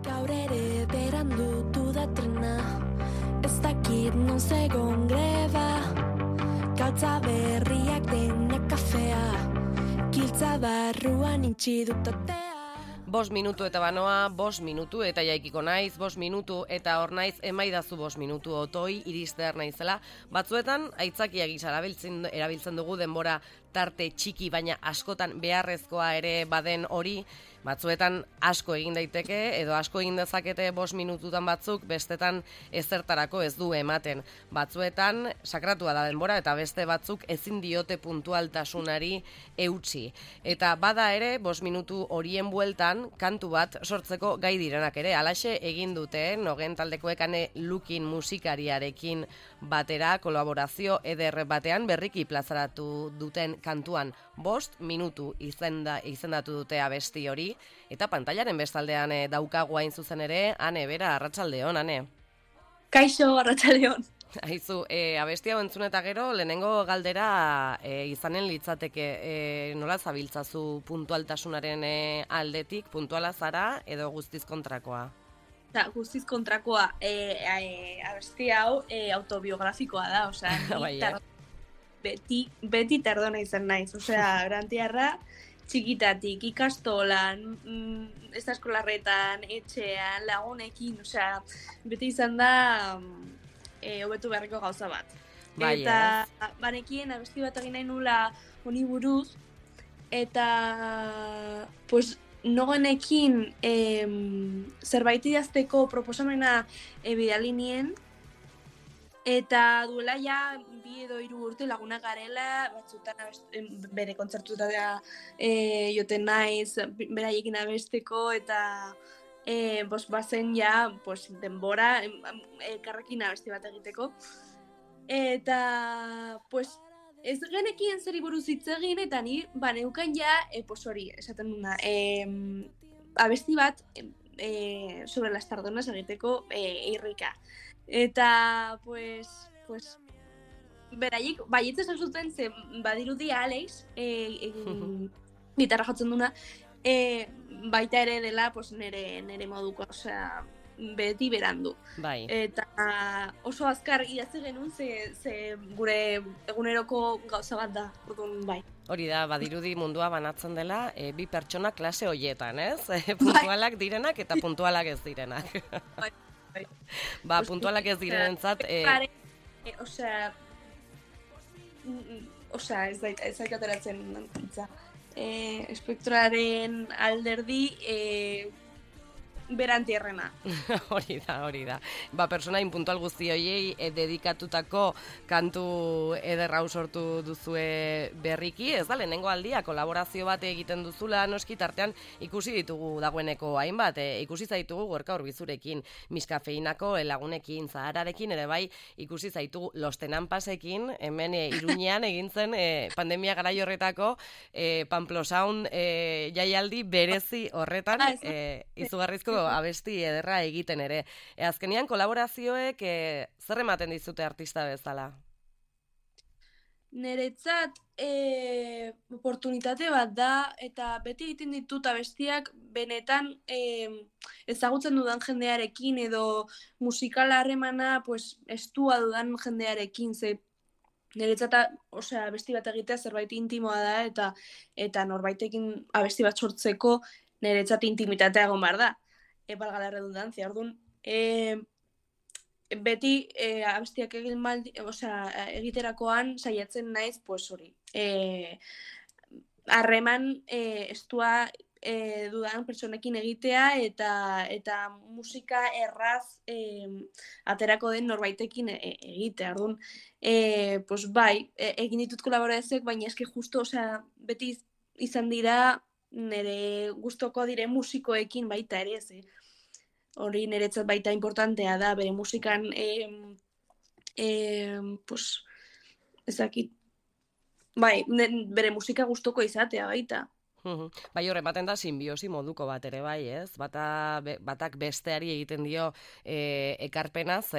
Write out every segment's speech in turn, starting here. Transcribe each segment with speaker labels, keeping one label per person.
Speaker 1: Gaur ere berandu da trena, ez dakit non zegon greba, gautza berriak denak kafea, giltza barruan intxi dut atea.
Speaker 2: 5 minutu eta banoa, 5 minutu eta jaikiko naiz, 5 minutu eta hor naiz, emaidazu 5 minutu otoi, iristear naizela. Batzuetan, aitzakiak gisa erabiltzen dugu denbora tarte txiki, baina askotan beharrezkoa ere baden hori, batzuetan asko egin daiteke, edo asko egin dezakete 5 minututan batzuk, bestetan ezertarako ez du ematen. Batzuetan sakratua da denbora, eta beste batzuk ezin diote puntualtasunari eutsi. Eta bada ere, 5 minutu horien bueltan, kantu bat sortzeko gai direnak ere. Halaxe egin dute, Nogen taldekoek Ane Lukin musikariarekin batera, kolaborazio eder batean berriki plazaratu duten kantuan 5 minutu izendatu dute abesti hori, eta pantailaren bestaldean daukagu hain zuzen ere, Ane, bera, arratsaldeon, Ane.
Speaker 3: Kaixo, arratsaldeon.
Speaker 2: Aizu, abesti hau entzun eta gero, lehenengo galdera izanen litzateke, nola zabiltzazu puntualtasunaren aldetik, puntuala zara edo guztiz kontrakoa?
Speaker 3: Guztiz kontrakoa, abesti hau autobiografikoa da, osea, beti tardona izan naiz, osea, Berantiarra txikitatik, ikastolan, ez da eskolarretan, etxean, lagunekin, osea, beti izan da hobetu beharreko gauza bat.
Speaker 2: Bai,
Speaker 3: eta banekien abesti bat egin nahi nula honi buruz, eta pues Nogenekin zerbait idazteko proposamena bidali nien, eta duela ja 2 edo 3 urte lagunak garela, batzutan bere kontzertutara joten naiz, beraiekin abesteko, eta bazen ja denbora elkarrekin abesti bat egiteko. Eta ez genekien zeri buruz hitz egin, eta ni neukan ja hori, esaten duna, abesti bat sobre las tardonas egiteko irrika. Eta, beraiek, baietz esan zuten, ze badirudi Alex, gitarra jotzen duna, baita ere dela nere moduko, osea, beti berandu.
Speaker 2: Bai.
Speaker 3: Eta oso azkar idatzi genuen, ze gure eguneroko gauza bat da, orduan bai.
Speaker 2: Hori da, badirudi mundua banatzen dela, 2 pertsona klase hoietan, ez? Puntualak direnak eta puntualak ez direnak.
Speaker 3: Bai.
Speaker 2: Ba, puntualak ez direnentzat... Osea, ez daik ateratzen hitza. Espektroaren alderdi Berantierrena. Hori da. Ba, persona inpuntual guzti horiei dedikatutako kantu ederra sortu duzue berriki, ez da, lehenengo aldia, kolaborazio bat egiten duzula, noski tartean ikusi ditugu dagoeneko hainbat, ikusi zaitugu Gorka Urbizurekin, Miskafeinako lagunekin, Zahararekin, ere bai, ikusi zaitugu Los Tenanpasekin, hemen Iruñean egin zen pandemia garai horretako Pamplosound jaialdi berezi horretan, izugarrizko abesti ederra egiten ere. Azkenean kolaborazioek zer ematen dizute artista bezala?
Speaker 3: Niretzat oportunitate bat da, eta beti egiten ditut abestiak benetan ezagutzen dudan jendearekin edo musikala harremana estua dudan jendearekin, ze niretzat abesti bat egitea zerbait intimoa da, eta norbaitekin abesti bat sortzeko niretzat intimitatea egon behar da. Valga la redundancia, orduan, beti abestiak egiterakoan saiatzen naiz, hori, harreman estua dudan pertsonekin egitea, eta musika erraz aterako den norbaitekin egitea, orduan, bai, egin ditut kolaborazioak, baina eski justo, beti izan dira nire gustoko dire musikoekin baita ere, hori niretzat baita importantea da, bere musikan ezakit, bai, bere musika gustoko izatea baita.
Speaker 2: Bai, hor, ematen da simbiosi moduko bat ere bai, ez? Batak besteari egiten dio ekarpenaz,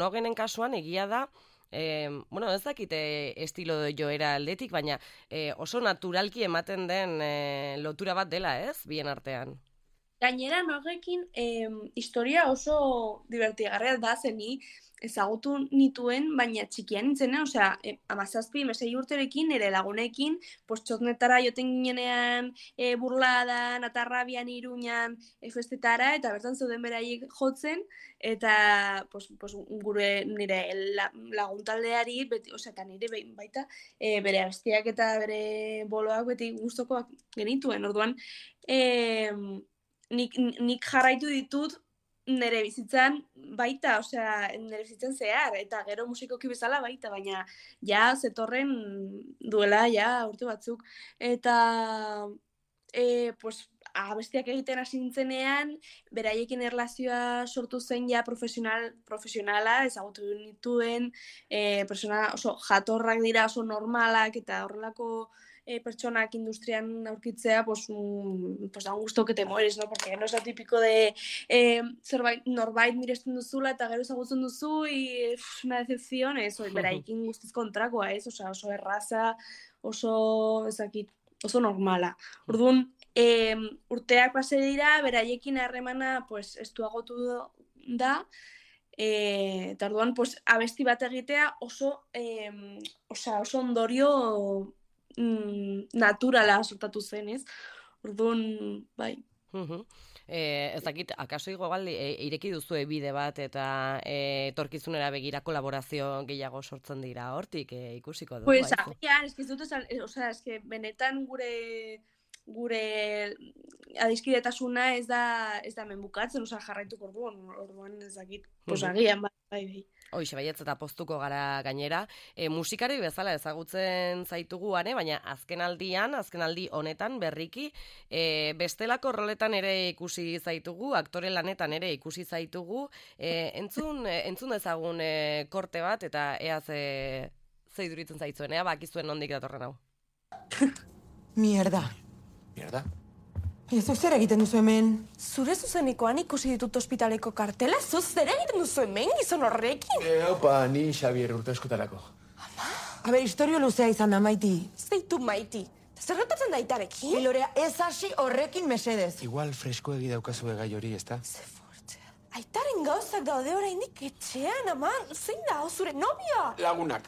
Speaker 2: Nogenen kasuan egia da, ez dakite estilo joera aldetik, baina oso naturalki ematen den lotura bat dela, ez? Bien artean.
Speaker 3: Gainera, norrekin historia oso divertigarria da zeni, ezagutu nituen, baina txikian nintzena, osea, 17-16 urterekin, nire lagunekin, txotnetara joten ginenean, burladan, atarrabian, Iruñan, festetara, eta bertan zeuden beraiek jotzen, eta gure nire laguntaldeari, beti, osea, eta nire baita, bere abestiak eta bere boloak beti gustokoak genituen, orduan, nik jarraitu ditut nire bizitzan baita, osea, nire bizitzan zehar, eta gero musikoki bezala baita, baina ja zetorren duela ja urte batzuk. Eta abestiak egiten hasi nintzenean, beraiekin erlazioa sortu zen ja profesionala, ezagutu nituen, persona oso jatorrak dira, oso normalak, eta horrelako pertsonak industrian aurkitzea, da un gusto que te mueres, ¿no? Porque no es lo típico de norbait miresten duzula eta gero ezagutzen duzu y una decepción, eso, beraikin guztiz kontrakoa, ez? Osea, oso erraza, oso normala. Orduan, urteak pase dira, beraiekin harremana estuagotu da, eta orduan, abesti bat egitea oso ondorio naturala sortatu zen, ez? Orduan, bai.
Speaker 2: Ez dakit, akaso igual ireki duzu bide bat eta etorkizunera begira kolaborazio gehiago sortzen dira hortik, ikusiko dugu.
Speaker 3: Agian, eske benetan gure adiskidetasuna ez da hemen bukatzen, jarraituko orduan ez dakit, agian, bai.
Speaker 2: Hoixe, baietz eta poztuko gara gainera. Musikari bezala ezagutzen zaitugu, baina azkenaldi honetan berriki, bestelako roletan ere ikusi zaitugu, aktore lanetan ere ikusi zaitugu, entzun ezagun korte bat, eta ea zeiduritzen zaitzuen, bakizuen nondik datorren hau.
Speaker 4: Mierda.
Speaker 5: Mierda?
Speaker 4: Ez zer egiten duzu hemen?
Speaker 1: Zure zuzenikoan ikusi ditut ospitaleko kartela, zuz zer egiten duzu hemen gizon horrekin?
Speaker 5: Opa, ni Xabier urte askotarako.
Speaker 4: Aber, historio luzea izan da, Maiti.
Speaker 1: Zeitu Maiti. Zer gertatzen daitarekin?
Speaker 4: Lorea, ez hasi horrekin mesedez.
Speaker 5: Igual fresko egi daukazu gai hori, ezta?
Speaker 1: Ze fortzea. Aitaren gauzak daude oraindik etxean, ama. Zein da, zure nobia?
Speaker 5: Lagunak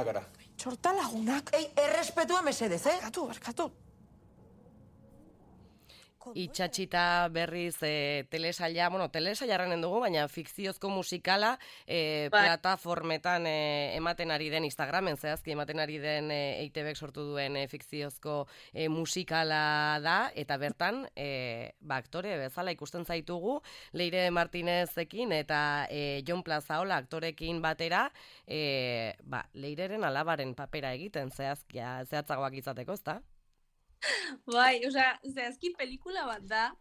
Speaker 5: gara.
Speaker 1: Txorta lagunak.
Speaker 4: Errespetua mesedez,
Speaker 1: Barkatu.
Speaker 2: Itxatxita berriz telesaila, telesailarren dugu, baina fikziozko musikala plataformetan ematen ari den, Instagramen zehazki ematen ari den EITBek sortu duen fikziozko musikala da, eta bertan aktore bezala ikusten zaitugu, Leire Martinezekin eta Jon Plazaola aktorekin batera, Leireren alabaren papera egiten zehatzagoak izateko, ezta?
Speaker 3: Bai, zehazki pelikula bat da,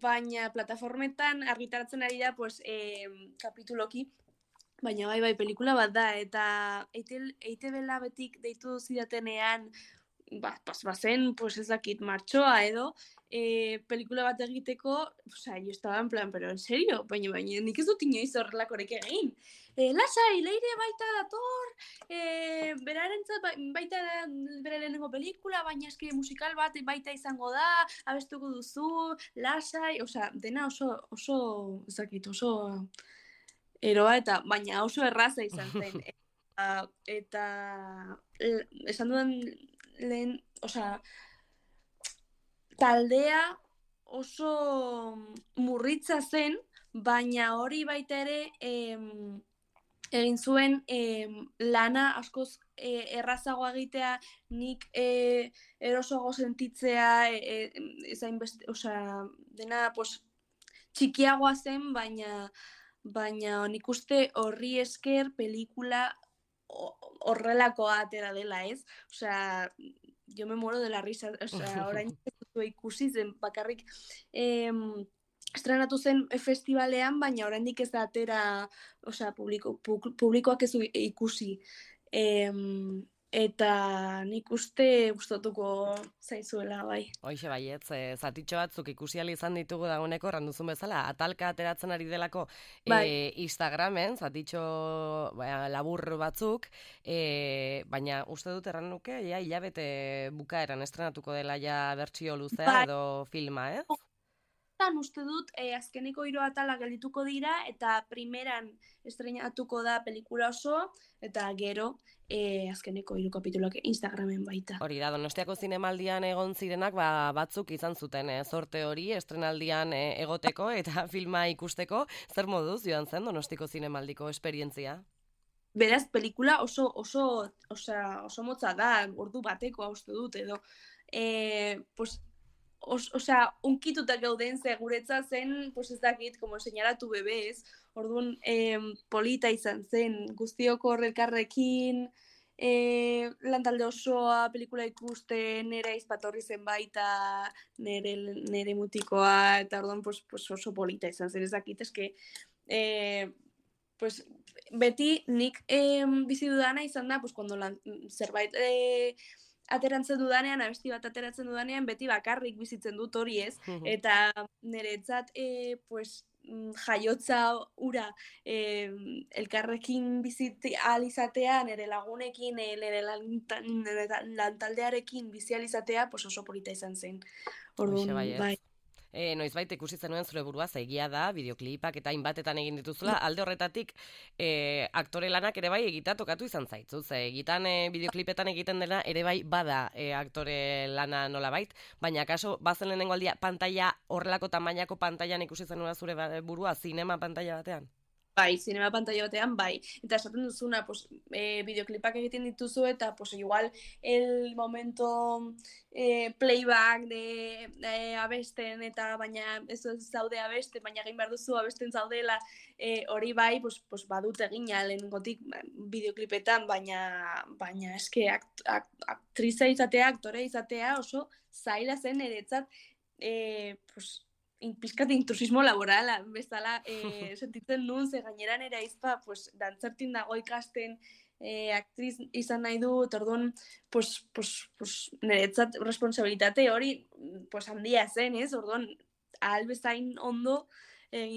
Speaker 3: baina plataformetan argitaratzen ari da, kapituloki, baina bai, pelikula bat da, eta EITB Labetik deitu zidatenean, bazen, ez dakit, martxoa edo, pelikula bat egiteko, jo estaba en plan, pero en serio, baina nik ez dut inoiz horrelakorek egin. Lasai, Leire baita dator, berarentzat baita bere lehenengo pelikula, baina eski musikal bat baita izango da, abestuko duzu, lasai, dena oso, ez dakit, oso eroa, eta baina oso erraza izan zen. Eta esan duen lehen, taldea oso murritza zen, baina hori baita ere egin zuen lana askoz errazagoa egitea, nik erosoago sentitzea, dena txikiagoa zen, baina nik uste horri esker pelikula horrelakoa atera dela, ez? Jo me muero de la risa, orain ikusi zen bakarrik estrenatu zen festivalean, baina oraindik ez da atera, publikoak ez ikusi. eta nik uste gustatuko zaizuela, bai.
Speaker 2: Hoixe baietz, zatitxo batzuk ikusi ahal izan ditugu dagoeneko, erranduzun bezala, atalka ateratzen ari delako
Speaker 3: Bai.
Speaker 2: Instagramen, zatitxo labur batzuk, baina uste dut erran nuke, ja, hilabete bukaeran estrenatuko dela ja bertsio luzea
Speaker 3: Bai.
Speaker 2: edo filma, ez?
Speaker 3: Uste dut, azkeneko 3 atalak geldituko dira, eta primeran estrenatuko da pelikula oso, eta gero azkeneko 3 kapituluak Instagramen baita.
Speaker 2: Hori da, Donostiako zinemaldian egon zirenak batzuk izan zuten zorte hori estrenaldian egoteko eta filma ikusteko. Zer moduz joan zen Donostiko zinemaldiko esperientzia?
Speaker 3: Beraz, pelikula oso motza da, ordu batekoa uste dut, edo unkituta gauden ze guretzat zen, ez dakit, como señalatu bebez, orduan polita izan zen, guztioko elkarrekin, lantalde osoa pelikula ikusten, nera izpatorri zen baita, nere mutikoa, eta orduan oso polita izan zen, ez dakit, eske, beti nik bizi dudana izan da, cuando zerbait ateratzen dudanean, abesti bat ateratzen dudanean, beti bakarrik bizitzen dut hori ez, eta niretzat, jaiotza ura elkarrekin biziti ahal izatea, nire lagunekin, nire lantaldearekin bizi ahal izatea, oso polita izan zen. Orduan, bai.
Speaker 2: Noizbait ikusi zenuen zure burua, egia da, bideoklipak eta hainbatetan egin dituzula, alde horretatik aktore lanak ere bai egita tokatu izan zaitzu, egitan bideoklipetan egiten dena ere bai bada aktore lana nolabait, baina kaso bazen lehenengo aldia pantalla horrelako tamainako pantailan ikusi zenuen zure burua, zinema pantalla batean?
Speaker 3: Bai, zinema pantalla batean, bai. Eta esaten duzuna, bideoklipak egiten dituzu, eta igual el momento playback de abesten, eta baina ez zaude abesten, baina egin behar duzu abesten zaudela, hori bai, badut egina lehenengotik bideoklipetan, baina eske aktriza izatea, aktore izatea oso zaila zen eretzat, pizkat intrusismo laborala, bezala sentitzen nun, ze gainera nera izpa, dantzertin dago ikasten, aktriz izan nahi dut, orduan, niretzat responsabilitate hori handia zen, ez? Orduan, ahal bezain ondo